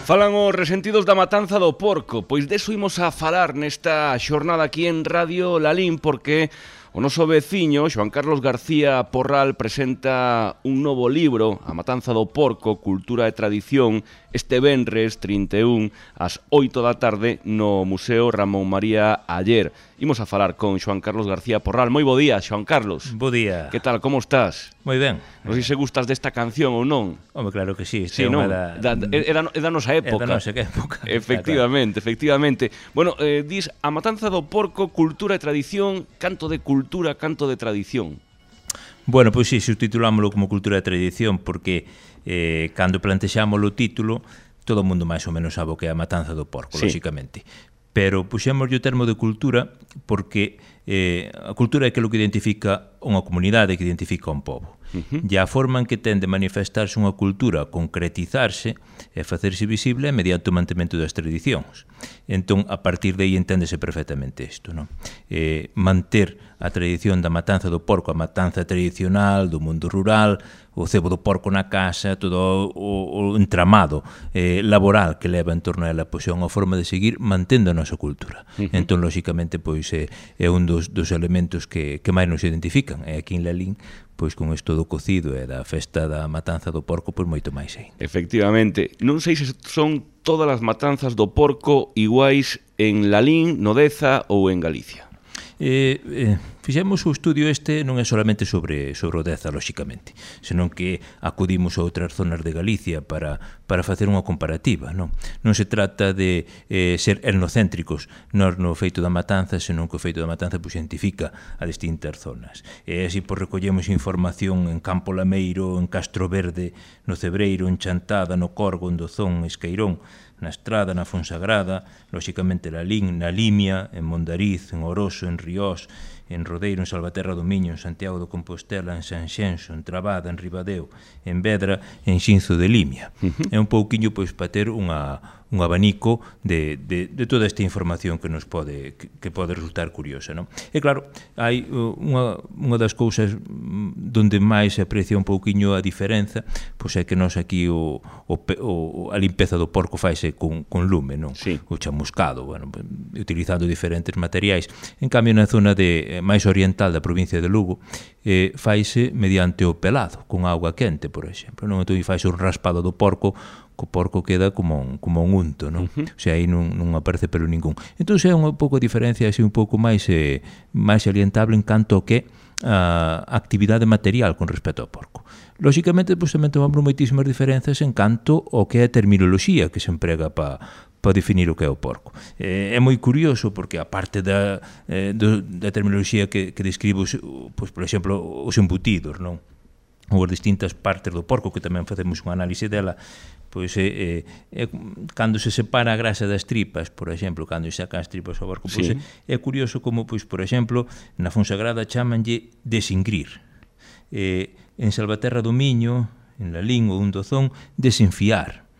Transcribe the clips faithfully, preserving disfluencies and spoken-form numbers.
Falan os resentidos da matanza do porco, pois deso imos a falar nesta xornada aquí en Radio Lalín, porque o noso veciño, Xoán Carlos García Porral, presenta un novo libro, A matanza do porco, cultura e tradición, este venres trinta e un, ás oito da tarde, no Museo Ramón María Aller. Imos a falar con Xoán Carlos García Porral. Moi bo día, Xoán Carlos. Bo día. Que tal, como estás? Moi ben. Non sei se gustas desta canción ou non. Home, claro que sí. Sí, non? Da, da, é, da, é da nosa época. É da nosa época. Efectivamente, efectivamente. Bueno, eh, dis, a matanza do porco, cultura e tradición, canto de cultura, canto de tradición. Bueno, pois sí, subtitulámoslo como cultura e tradición, porque eh, cando plantexamos o título, todo o mundo máis ou menos sabe o que é a matanza do porco, sí, lóxicamente. Pero puxemos o termo de cultura porque eh, a cultura é aquilo que identifica unha comunidade, que identifica un pobo. Uh-huh. E a forma en que ten de manifestarse unha cultura, concretizarse e facerse visible é mediante o mantemento das tradicións. Entón, a partir de aí enténdese perfectamente isto, non? Eh, manter a tradición da matanza do porco, a matanza tradicional do mundo rural, o cebo do porco na casa, todo o, o entramado eh, laboral que leva en torno a ela, pois é unha forma de seguir mantendo a nosa cultura. Uh-huh. Entón, lóxicamente, pois é, é un dos, dos elementos que, que máis nos identifican. E aquí en Lalín, pois con isto do cocido e da festa da matanza do porco, pois moito máis aí. Efectivamente. Non sei se son todas as matanzas do porco iguais en Lalín, no Deza ou en Galicia. Eh, eh, fixemos o estudio este non é solamente sobre, sobre o Deza, lóxicamente, senón que acudimos a outras zonas de Galicia para, para facer unha comparativa, non? Non se trata de eh, ser etnocéntricos nós no feito da matanza, senón que o feito da matanza pues, identifica a distintas zonas. E así pues, recollemos información en Campo Lameiro, en Castro Verde, no Cebreiro, en Chantada, no Corgo, en Dozón, en Esqueirón, na Estrada, na Fonsagrada, lóxicamente na Lalín, na Limia, en Mondariz, en Oroso, en Riós, en Rodeiro, en Salvaterra do Miño, en Santiago de Compostela, en Sanxenxo, en Trabada, en Ribadeo, en Vedra, en Xinzo de Limia. Uh-huh. É un pouquiño pois para ter unha un abanico de, de, de toda esta información que nos pode que, que pode resultar curiosa, non? E claro, hai unha, unha das cousas donde máis se aprecia un pouquiño a diferenza, pois é que nós aquí o, o, o a limpeza do porco faise con, con lume, non? Sí. O chamuscado, bueno, utilizando diferentes materiais. En cambio, na zona de máis oriental da provincia de Lugo, eh, faise mediante o pelado, con auga quente, por exemplo, non? Entón, faise un raspado do porco, o porco queda como un, como un unto, non? Uh-huh. O sea, aí non, non aparece pelo ningún. Entón, é unha pouco a diferencia, así un pouco máis eh, máis alientable en canto que a uh, actividade material con respecto ao porco. Lóxicamente, pois, tamén tomamos moitísimas diferenzas en canto ao que é a terminoloxía que se emprega para para definir o que é o porco. Eh, é moi curioso porque, aparte da, eh, do, da terminoloxía que, que describe, os, pois, por exemplo, os embutidos, non? Ou as distintas partes do porco, que tamén facemos unha análise dela, pois é, é, é cando se separa a grasa das tripas, por exemplo, cando se saca as tripas ao porco, pois sí, é, é curioso como, pois, por exemplo, na Fonsagrada chamanlle desingrir, eh, en Salvaterra do Miño, en Lalín ou en Dozón, desenfiar,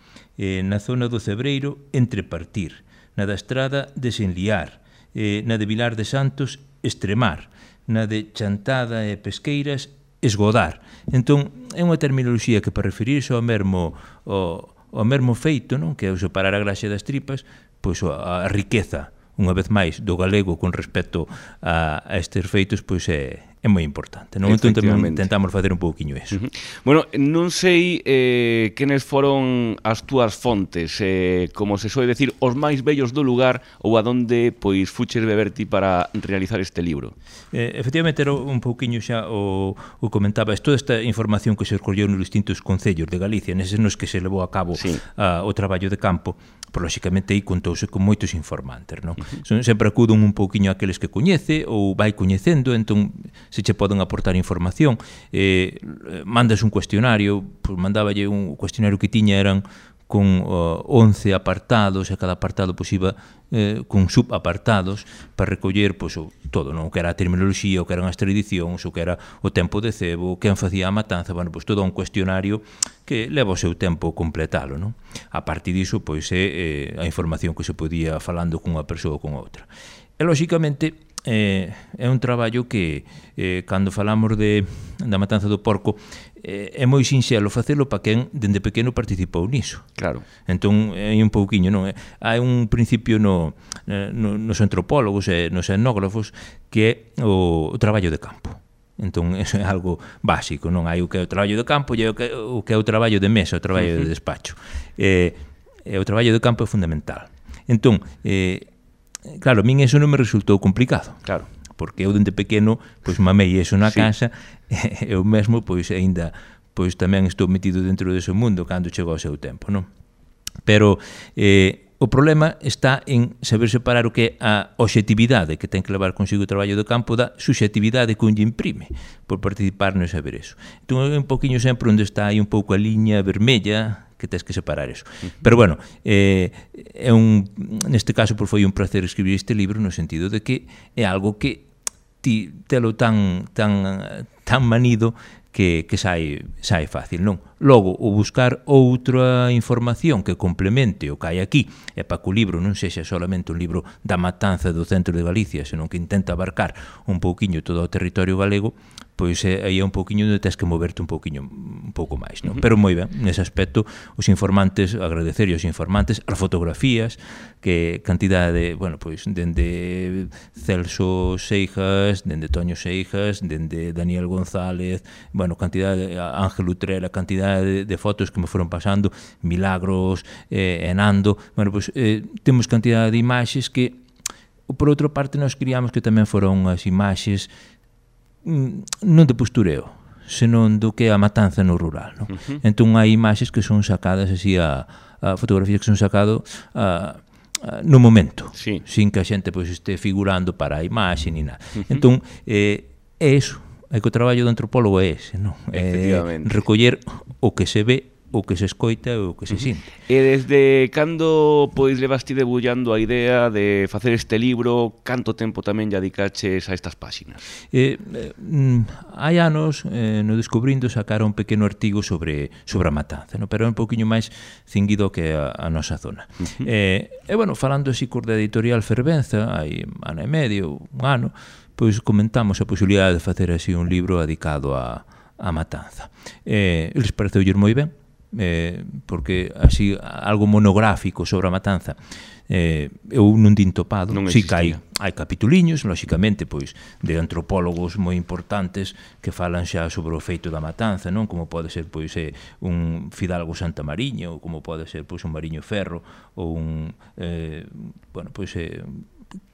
eh, na zona do Cebreiro, entrepartir, na da Estrada, desenliar, eh, na de Vilar de Santos, extremar, na de Chantada e Pesqueiras, esgodar. Entón, é unha terminoloxía que para referirse ao mesmo, ao, ao mesmo feito, non? Que é o separar a graxa das tripas, pois a, a riqueza, unha vez máis, do galego con respecto a, a estes feitos, pois é, é moi importante, non? Entón, tamén tentamos facer un pouquiño eso. Uh-huh. Bueno, non sei eh, quenes foron as túas fontes, eh, como se soe decir, os máis bellos do lugar ou a donde, pois, fuches beber ti para realizar este libro. Eh, efectivamente, era un pouquiño xa o, o comentabas, toda esta información que se escolleu nos distintos concellos de Galicia, neses nos que se levou a cabo sí. a, o traballo de campo, por lóxicamente aí contouse con moitos informantes, non? Uh-huh. Son, sempre acuden un pouquiño aqueles que coñece ou vai coñecendo, entón se che poden aportar información, eh, mandas un cuestionario, pues mandáballe un cuestionario que tiña eran con uh, once apartados, e cada apartado pues, iba eh, con subapartados para recoller pues, o, todo, non? O que era a terminoloxía, o que eran as tradicións, o que era o tempo de cebo, quen facía a matanza, bueno, pues, todo un cuestionario que leva o seu tempo completalo, non? A partir diso, pois, é eh, a información que se podía falando cunha persoa ou con outra. E, lóxicamente, eh, é un traballo que, eh, cando falamos de, da matanza do porco, eh, é moi sinxelo facelo para quen dende pequeno participou niso. Claro. Entón, hai un pouquiño, non? Hai un principio no, no, nos antropólogos e nos etnógrafos que é o, o traballo de campo. Entón, eso é algo básico, non? Hai o que é o traballo de campo e o que, o que é o traballo de mesa, o traballo uh-huh. de despacho. Eh, e o traballo de campo é fundamental. Entón, eh, claro, a min eso non me resultou complicado. Claro. Porque eu dende pequeno pois mamei eso na sí. casa e eu mesmo pois aínda pois tamén estou metido dentro dese mundo cando chegou o seu tempo, non? Pero eh, o problema está en saber separar o que é a obxectividade que ten que levar consigo o traballo do campo da subxectividade que un lle imprime por participar no saber eso. Entón é un poquinho sempre onde está aí un pouco a liña vermella que tens que separar eso. Pero bueno, eh, é un, neste caso por foi un placer escribir este libro no sentido de que é algo que ti telo tan tan tan manido que, que sai, sai fácil, non? Logo, o buscar outra información que complemente o que hai aquí é para que o libro non sexa solamente un libro da matanza do centro de Galicia, senón que intenta abarcar un pouquiño todo o territorio galego, pois é, aí é un pouquiño onde tens que moverte un pouquiño un pouco máis, non? Pero moi ben, nese aspecto, os informantes, agradecer aos informantes, as fotografías, que cantidade de, bueno, pois, dende Celso Seijas, dende Toño Seijas, dende Daniel González, bueno, cantidade de Ángel Utrera, cantidade de, de fotos que me foron pasando, Milagros, eh, Enando, bueno, pois, eh, temos cantidade de imaxes que, por outra parte, nós queríamos que tamén foron as imaxes non de postureo, senón do que é a matanza no rural, non? Uh-huh. Entón hai imaxes que son sacadas así a, a fotografías que son sacado a, a, no momento, sí. sin que a xente pois este figurando para a imaxe ni nada. Uh-huh. Entón eh, é eso, é que o traballo do antropólogo é ese, non? É recoller o que se ve, o que se escoita e o que se sinte. E desde cando pois levaste debullando a idea de facer este libro, canto tempo tamén lle dedicaches a estas páxinas? Eh, eh, hai anos, eh, no Descubrindo, sacara un pequeno artigo sobre sobre a matanza, no? Pero é un poquinho máis cinguido que a, a nosa zona. Uh-huh. eh, e, bueno, falando así cor da editorial Fervenza, hai ano e medio, un ano, pois comentamos a posibilidade de facer así un libro dedicado a, a matanza. Eh, eles pareceulle moi ben, Eh, porque así algo monográfico sobre a matanza eh, eu non din topado, si que hai, hai capituliños, lóxicamente, pois de antropólogos moi importantes que falan xa sobre o feito da matanza, non? Como pode ser pois eh, un Fidalgo Santamariño, ou como pode ser pois un Mariño Ferro, ou un eh, bueno, pois eh,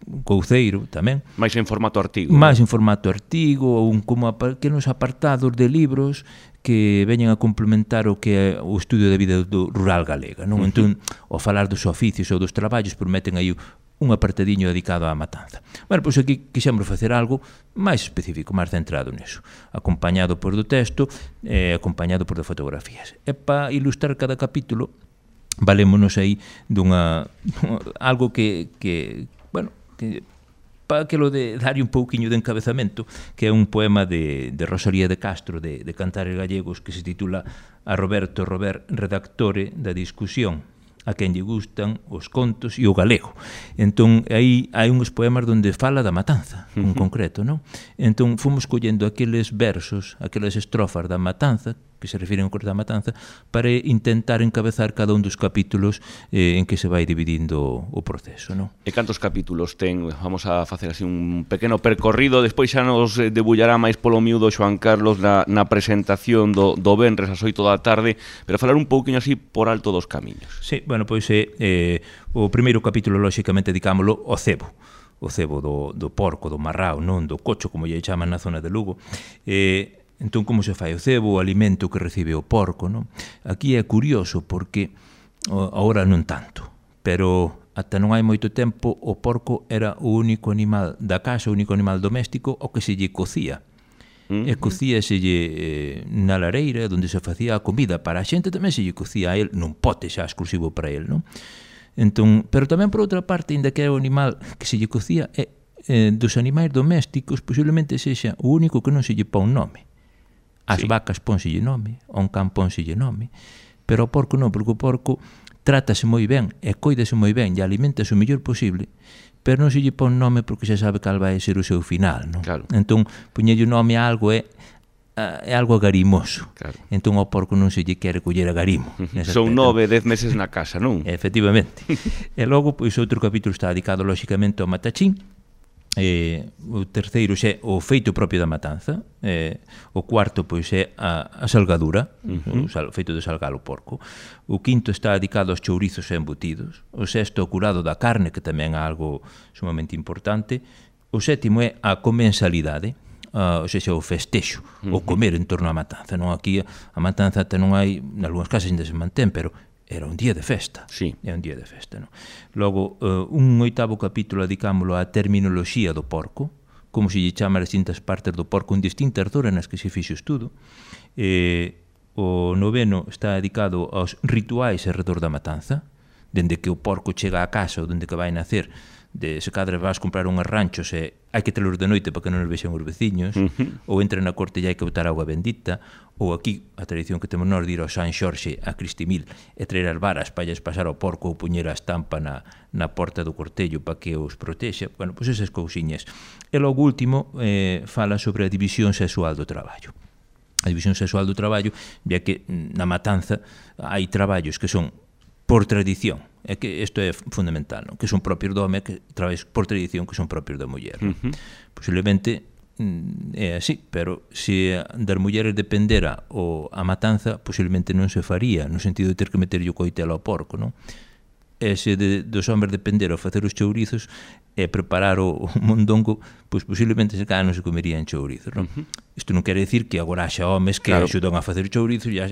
un Couceiro tamén. Mais en formato artigo. Mais en formato artigo, ou un como pequenos apartados de libros que veñen a complementar o que é o estudio da vida do rural galega, non? Uh-huh. Entón, ao falar dos oficios ou dos traballos, prometen aí un apartadiño dedicado á matanza. Bueno, pois aquí quixemos facer algo máis específico, máis centrado neso, acompañado por do texto e eh, acompañado por de fotografías. E para ilustrar cada capítulo, valémonos aí dunha algo que, que bueno, que para aquilo de darlle un pouquiño de encabezamento, que é un poema de, de Rosalía de Castro, de, de Cantares Gallegos, que se titula A Roberto Robert, redactore da discusión, a quen lle gustan os contos e o galego. Entón, aí hai uns poemas onde fala da matanza, en concreto, non? Entón, fomos collendo aqueles versos, aquelas estrofas da matanza, que se refiren ao corte da matanza, para intentar encabezar cada un dos capítulos eh, en que se vai dividindo o proceso, non? E cantos capítulos ten? Vamos a facer así un pequeno percorrido, despois xa nos debullará máis polo miúdo Xoán Carlos na, na presentación do, do venres ás oito da tarde, pero falar un pouquinho así por alto dos camiños. Sí, bueno, pois eh, eh, o primeiro capítulo, lóxicamente, dedicámoslo ao cebo, o cebo do, do porco, do marrao, non do cocho, como lle chaman na zona de Lugo. Eh, Entón, como se fai o cebo, o alimento que recibe o porco, non? Aquí é curioso porque agora non tanto, pero ata non hai moito tempo o porco era o único animal da casa, o único animal doméstico o que se lle cocía. Mm-hmm. E cocíaselle eh, na lareira onde se facía a comida. Para a xente tamén se lle cocía a el nun pote xa exclusivo para el, non? Entón, pero tamén por outra parte, ainda que é o animal que se lle cocía, é, eh, dos animais domésticos posiblemente sexa o único que non se lle pon nome. As sí. vacas pónselle nome, a un can pónselle nome, pero o porco non, porque o porco trátase moi ben e coidase moi ben e alimentase o mellor posible, pero non se lle pon nome porque xa sabe cal vai ser o seu final, non? Claro. Entón, poñelle o nome a algo é é algo agarimoso. Claro. Entón ao porco non se lle quere coller agarimo. Son nove, dez meses na casa, non? Efectivamente. E logo, pois, outro capítulo está dedicado, lóxicamente, ao matachín. Eh, o terceiro é o feito propio da matanza. Eh, o cuarto, pois, é a, a salgadura, uh-huh. o, sal, o feito de salgar o porco. O quinto está dedicado aos chourizos e embutidos. O sexto, o curado da carne, que tamén é algo sumamente importante. O sétimo é a comensalidade. Uh, ou seja, o festexo, uh-huh. o comer en torno á matanza. Non, aquí a matanza non hai, en algúns casos ainda se mantén, pero era un día de festa. Sí. É un día de festa, non? Logo, uh, un oitavo capítulo dedicámoslo á terminoloxía do porco, como se lle chama as distintas partes do porco en distintas zonas nas que se fixo estudo. Eh, o noveno está dedicado aos rituais alrededor da matanza, dende que o porco chega á casa ou dende que vai nacer, de se cadra vas comprar unhas ranchos e hai que telos de noite para que non os vexan os veciños, uh-huh. ou entra na corte e hai que botar agua bendita, ou aquí a tradición que temos nós de ir ao San Xorxe a Cristimil e traer as varas para lles pasar ao porco ou puñer a estampa na, na porta do cortello para que os protexa. Bueno, pois esas cousiñas. E logo último eh, fala sobre a división sexual do traballo. A división sexual do traballo, ya que na matanza hai traballos que son por tradición, é que isto é fundamental, non? Que son propios do home, que traballos por tradición que son propios da muller. Uh-huh. Posiblemente é así, pero se das mulleres dependera o a matanza, posiblemente non se faría, no sentido de ter que meter o coitelo ao porco, non? E se de, dos homes dependera o facer os chourizos e preparar o, o mondongo, pois posiblemente se cada non se comerían chourizos, non? Uh-huh. Isto non quere decir que agora xa homes que claro. axudan a facer chourizos, ya,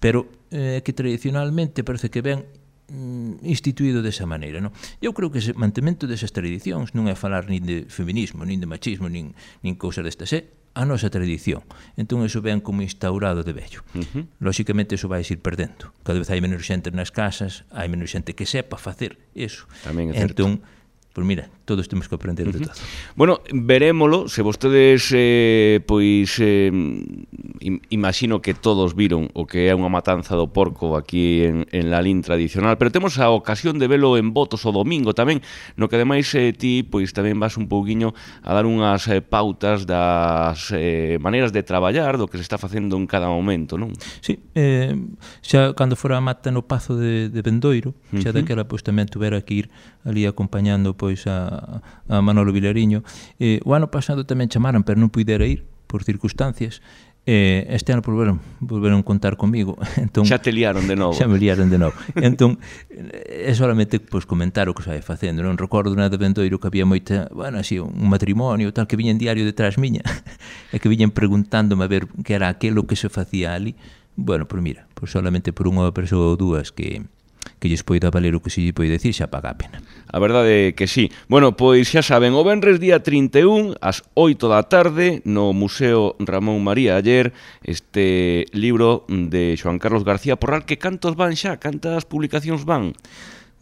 pero eh, que tradicionalmente parece que ven mm, instituído desa maneira, non? Eu creo que ese mantemento desas tradicións non é falar nin de feminismo, nin de machismo, nin, nin cousas destas, é a nosa tradición. Entón, iso ven como instaurado de vello. Uh-huh. Lóxicamente, iso vai ir perdendo. Cada vez hai menos xente nas casas, hai menos xente que sepa facer iso. Tamén é certo. Entón, pois mira, todos temos que aprender de todo. Bueno, verémolo, se vostedes eh, pois eh, imagino que todos viron o que é unha matanza do porco aquí en, en Lalín tradicional, pero temos a ocasión de velo en Botos o domingo tamén, no que ademais eh, ti pois tamén vas un pouquiño a dar unhas eh, pautas das eh, maneiras de traballar, do que se está facendo en cada momento, non? Sí, eh, xa cando fora a mata no Pazo de, de Bendoiro, xa uh-huh. daquela pois tamén tuvera que ir ali acompañando pois a, a Manolo Vilariño. Eh, o ano pasado tamén chamaran, pero non puidera ir por circunstancias. Eh, este ano volveron, volveron contar comigo. Entón, xa te liaron de novo. Xa me liaron de novo. Entón, é solamente pois, comentar o que se vai facendo. Non recordo na de Bendoiro que había moita, bueno, así, un matrimonio tal, que viñen diario detrás miña e que viñen preguntándome a ver que era aquilo que se facía ali. Bueno, pois mira, pois solamente por unha persoa ou dúas que que lles poida valer o que se lle pode decir, xa paga a pena. A verdade é que sí. Bueno, pois xa saben, o venres día trinta e un, ás oito da tarde, no Museo Ramón María Aller, este libro de Xoán Carlos García Porral, que cantos van xa? Cantas publicacións van?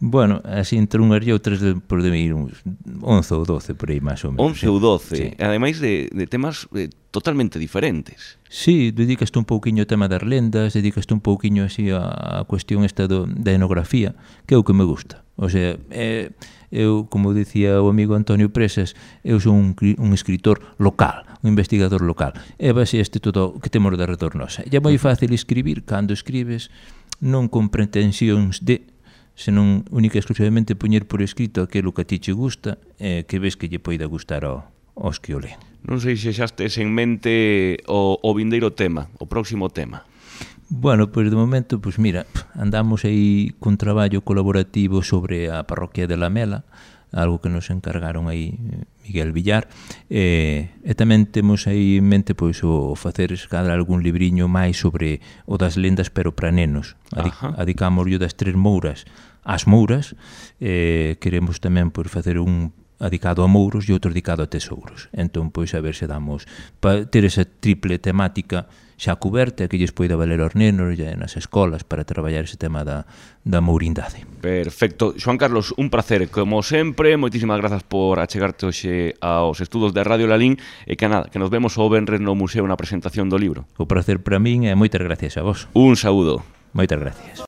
Bueno, así entre unhas e outras por de ir uns once ou doce por aí máis ou menos. once ou doce, sí. Ademais de, de temas eh, totalmente diferentes. Sí, dedicaste un pouquiño ao tema das lendas, dedicaste un pouquiño así a, a cuestión esta do, da etnografía, que é o que me gusta. O sea, é, eu, como dicía o amigo Antonio Presas, eu son un, un escritor local, un investigador local. E base este todo o que temos de redor nosa. E é moi fácil escribir, cando escribes, non con pretensións de, senón única e exclusivamente poñer por escrito aquilo que a ti che gusta e que ves que lle poida gustar ao, aos que o leen. Non sei se xa estes en mente o, o vindeiro tema, o próximo tema. Bueno, pois de momento, pois mira, andamos aí cun traballo colaborativo sobre a parroquia de Lamela, algo que nos encargaron aí Miguel Villar, e, e tamén temos aí en mente pois o facer escadra algún libriño máis sobre o das lendas pero para nenos. Adicámoslo das tres mouras ás mouras, e queremos tamén pois facer un dedicado a mouros e outro dedicado a tesouros. Entón, pois, a ver se damos para ter esa triple temática xa cuberta que lles poida valer aos nenos e nas escolas para traballar ese tema da, da mourindade. Perfecto. Xoán Carlos, un placer, como sempre, moitísimas grazas por achegarte hoxe aos estudos de Radio Lalín e que nada, que nos vemos o venres no museo na presentación do libro. O placer para min e moitas gracias a vos. Un saúdo. Moitas gracias.